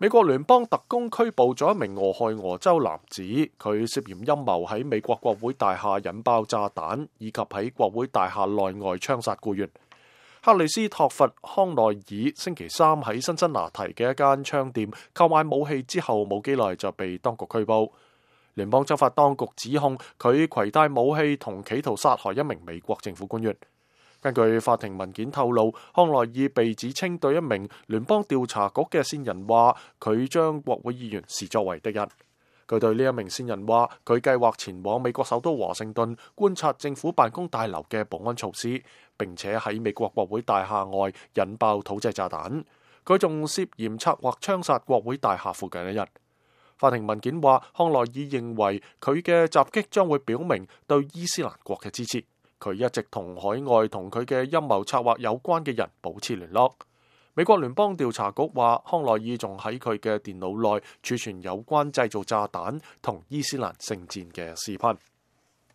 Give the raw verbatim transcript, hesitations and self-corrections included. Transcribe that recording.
美國聯邦特工拘捕咗一名俄亥俄州男子，佢涉嫌陰謀喺美國國會大廈引爆炸彈，以及喺國會大廈內外槍殺僱員。克里斯托弗康奈爾星期三喺辛辛那提嘅一間槍店購買武器之後冇幾耐就被當局拘捕。聯邦執法當局指控佢攜帶武器同企圖殺害一名美國政府官員。根據法庭文件透露，康奈爾被指稱對一名聯邦調查局嘅線人話，佢將國會議員視作為敵人。佢對呢一名線人話，佢計劃前往美國首都華盛頓觀察政府辦公大樓嘅保安措施，並且喺美國國會大廈外引爆土製炸彈。佢仲涉嫌策劃槍殺國會大廈附近一人。法庭文件話，康奈爾認為佢嘅襲擊將會表明對伊斯蘭國嘅支持。佢一直同海外同佢嘅陰謀策劃有關嘅人保持聯絡。美國聯邦調查局話，康奈爾仲喺佢嘅電腦內儲存有關製造炸彈同伊斯蘭聖戰嘅視頻。